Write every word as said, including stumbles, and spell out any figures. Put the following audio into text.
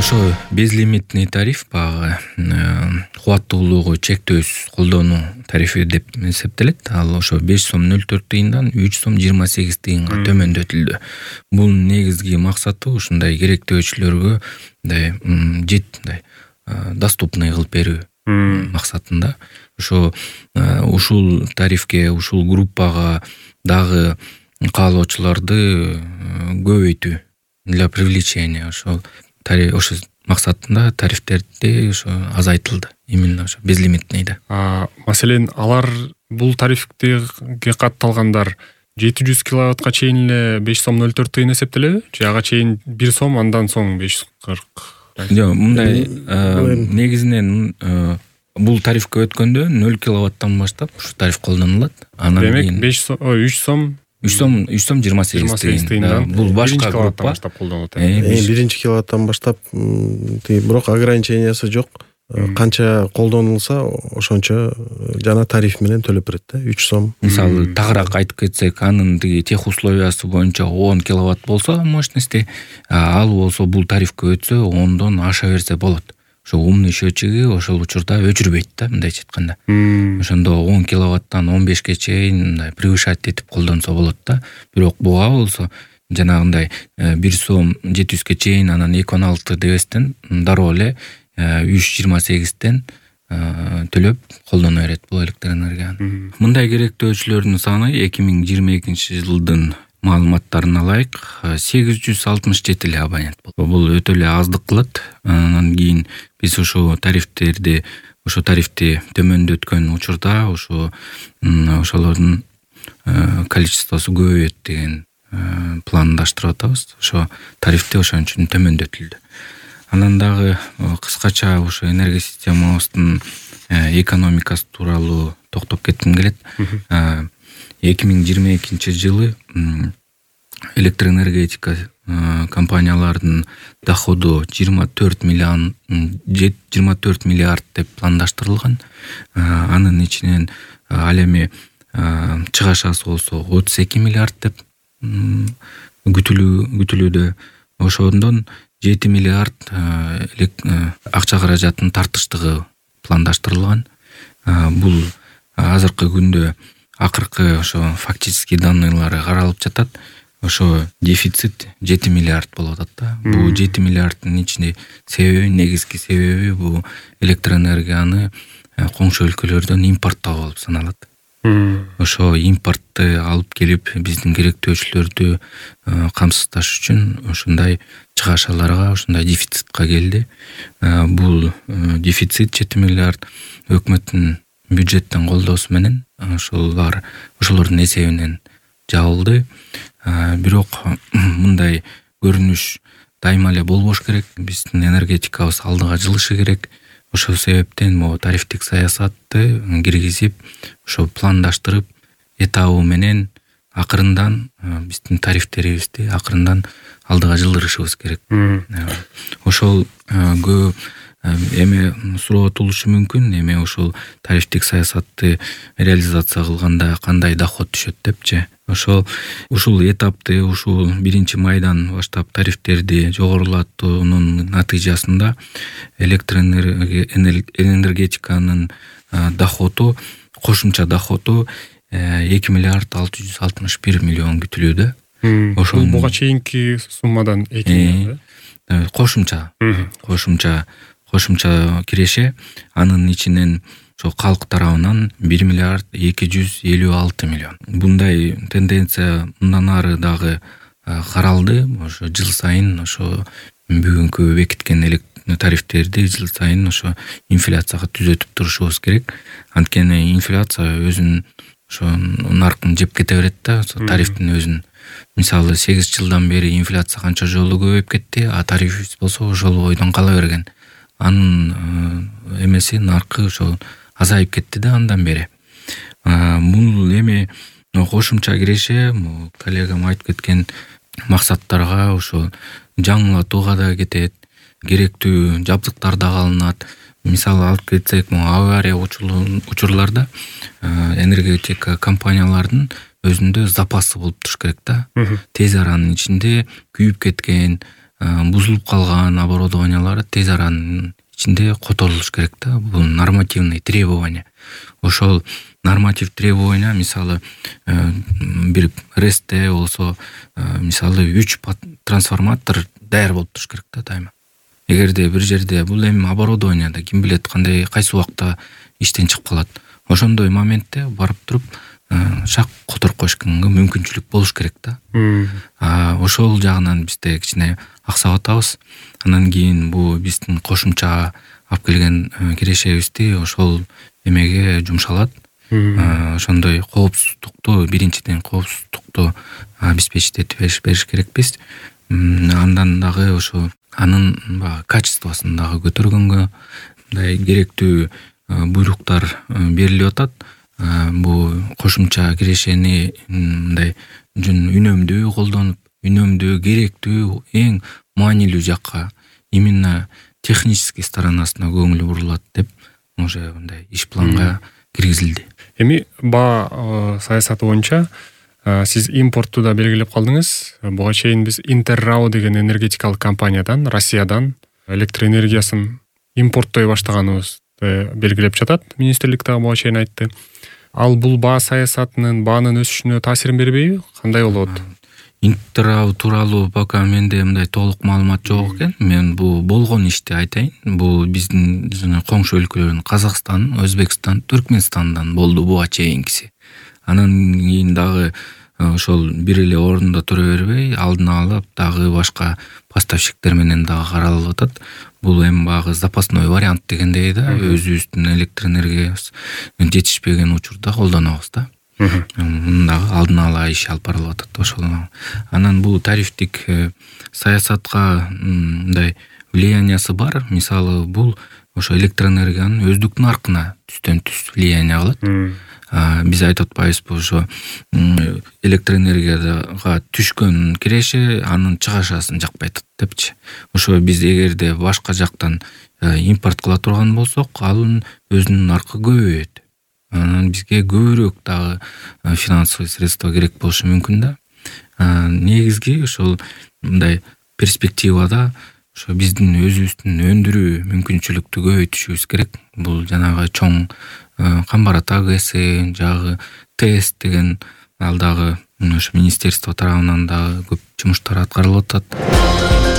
ошо безлимитный тариф баягы кубаттуулугу чектөөсүз колдонуу тарифи деп эсептелет. Ал ошо беш сом нөл төрт тыйындан үч сом жыйырма сегиз тыйынга төмөндөтүлдү. Бунун негизги максаты ушундай керектөөчүлөргө мындай жет мындай доступный кылып берүү максатында. Ошо ушул тарифке, ушул группага дагы каалоочуларды көбөйтүү для привлечения ошол ошо максатында тарифтерди ошо азайтылды. Именно ошо безлимитныйда. Маселен, алар бул тарифке катталгандар жети жүз киловаттка чейин эле беш сом нөл төрт тыйын эсептелеби? Же ага чейин бир сом, андан соң беш кырк? Жок, мындай негизинен бул тарифке өткөндө нөл киловаттан баштап ушу тариф колдонулат. Анан демек беш сом, үч сом үч сом үч сом жыйырма сегиз тыйын. Бул башка группа баштап колдонулат. Биринчи киловаттан баштап, бирок ограничениясы жок. Канча колдонулса, ошончо жана тариф менен төлөп берет да, үч сом. Мисалы, тагыраак айтып кетсек, анын тиги тех условиясы боюнча он киловатт болсо мощности, ал болсо бул тарифке өтсө ондон аша берсе болот. Ошо умный счетчиги ошол учурда өчүрбөйт да, мындайча айтканда. Ошондо он киловаттан он бешке чейин мындай превышать этип колдонсо болот да. Бирок буга болсо жанагындай бир сом жети жүзгө чейин, анан эки он алты дебестен дароо эле үч жыйырма сегизден төлөп колдоно берет бул электроэнергияны. Мындай керектөөчүлөрдүн саны эки миң жыйырма экинчи жылдын маалыматтарын алайык, сегиз жүз алтымыш жети эле абонент болду. Бул өтө эле аздык кылат. Анан кийин биз ошо тарифтерди, ошо тарифти төмөндөткөн учурда ошо ошолордун количествосу көбөйөт деген пландаштырып атабыз. Ошо тарифти ошон үчүн төмөндөтүлдү. Анан дагы кыскача ошо энергия системабыздын экономикасы тууралуу токтоп кетким келет. эки миң жыйырма экинчи жылы электроэнергетика компаниялардын доходу жыйырма төрт миллион жыйырма төрт миллиард деп пландаштырылган. Анын ичинен ал эми чыгашасы болсо отуз эки миллиард деп күтүлүүдө. Ошондон жети миллиард акча каражатын тартыштыгы пландаштырылган. Бул азыркы күндө акыркы ошо фактический данныйлары каралып жатат. Ошо дефицит жети миллиард болуп атат да. Бул жети миллиарддын ичинде себеби, негизги себеби бул электроэнергияны коңшу өлкөлөрдөн импорттоо болуп саналат. Ошо импортты алып келип биздин керектөөчүлөрдү камсыздаш үчүн ушундай чыгашаларга, ушундай дефицитка келди. Бул дефицит жети миллиард өкмөттүн бюджеттен колдоосу менен ошолор ошолордун эсебинен жабылды. Бирок мындай көрүнүш дайыма эле болбош керек. Биздин энергетикабыз алдыга жылышы керек. Ошол себептен могу тарифтик саясатты киргизип, ошо пландаштырып, этабы менен акырындан биздин тарифтерибизди акырындан алдыга жылдырышыбыз керек. Ошол көп эме суроо-тулушу мүмкүн, эме ошол тарифтик саясатты реализация кылганда кандай доход түшөт депчи. Ошол ушул этапты, ушул биринчи майдан баштап тарифтерди жогорулатуунун натыйжасында электроэнергетиканын доходу, кошумча доходу эки миллиард алты жүз алтымыш бир миллион күтүлүүдө. Ошол буга чейинки суммадан эки миллион. Кошумча, кошумча кошумча киреше, анын ичинен ошо калк тарабынан бир миллиард эки жүз элүү алты миллион. Мындай тенденция мындан ары дагы каралды. Ошо жыл сайын ошо бүгүнкү бекиткен тарифтерди жыл сайын ошо инфляцияга түзөтүп турушубуз керек. Анткени инфляция өзүн ошо наркын жеп кете берет да, тарифтин өзүн. Мисалы, сегиз жылдан бери инфляция канча жолу көбөйүп кетти, а тарифибиз болсо ошол бойдон кала берген. Анын эмеси наркы ошо азайып кетти да андан бери. Бул эми кошумча киреше, коллегам айтып кеткен максаттарга ошо жаңылатууга да кетет, керектүү жабдыктар да алынат. Мисалы алып кетсек, авария учурларда энергетика компаниялардын өзүндө запасы болуп туруш керек да. Тез аранын ичинде күйүп кеткен бузулуп калган оборудованиялар тез аранын ичинде которулуш керек да. Бул нормативный требования. Ошол норматив требования мисалы бир рестте болсо мисалы үч трансформатор даяр болуп туруш керек да дайыма. Эгерде бир жерде бул эми оборудованияда ким билет кандай кайсы убакта иштен чыгып калат. Ошондой моментте барып туруп шак которуп коюшканга мүмкүнчүлүк болуш керек да. Ошол жагынан бизде кичине аксап атабыз. Анан кийин бул биздин кошумча алып келген кирешебизди ошол эмеге жумшалат. Ошондой коопсуздукту биринчиден коопсуздукту обеспечить этип бериш керекпиз. Андан дагы ошо анын баягы качествосун дагы көтөргөнгө мындай керектүү буйруктар берилип атат. Бул кошумча кирешени мындай жөн үнөмдүү колдонуп, үнөмдүү керектүү эң маанилүү жакка именно технический сторонасына көңүл бурулат деп уже мындай иш планга киргизилди. Эми баа саясаты боюнча сиз импортту да белгилеп калдыңыз. Буга чейин биз Интеррау деген энергетикалык компаниядан, Россиядан электр энергиясын импорттой баштаганыбызды белгилеп жатат. Министрлик дагы буга чейин айтты. Ал бул баа саясатынын, баанын өсүшүнө таасирин бербейби? Кандай болот? Интеррау тууралуу пока менде мындай толук маалымат жок экен. Мен бул болгон ишти айтайын. Бул биздин жана коңшу өлкөлөрдүн Казакстан, Өзбекстан, Түркмөнстандан болду буга чейинкиси. Анан кийин дагы ошол бир эле орунда тура бербей, алдын алып дагы башка поставщиктер менен дагы каралып атат. Бул эми багы запасной вариант дегендей да, өзүбүздүн электр энергиясы жетишпеген учурда колдонобуз да. Мындагы алдын ала иш алып барылып атат ошол. Анан бул тарифтик саясатка мындай влияниясы бар. Мисалы бул ошо электр энергиянын өздүк наркына түстөн түз влияние кылат. Биз айтып атпайбызбы ошо электр энергияга түшкөн киреше анын чыгашасын жакпай атат депчи. Ошо биз эгерде башка жактан импорт кыла турган болсок, анын өзүнүн наркы көбөйөт. Анан бизге көбүрөөк дагы финансовый средства керек болушу мүмкүн да. Негизги ошол мындай перспективада ошо биздин өзүбүздүн өндүрүү мүмкүнчүлүктү көбөйтүшүбүз керек. Бул жанагы чоң Камбарат АГС, жагы ТЭС деген ал дагы ошо министерство тарабынан дагы көп жумуштар аткарылып атат.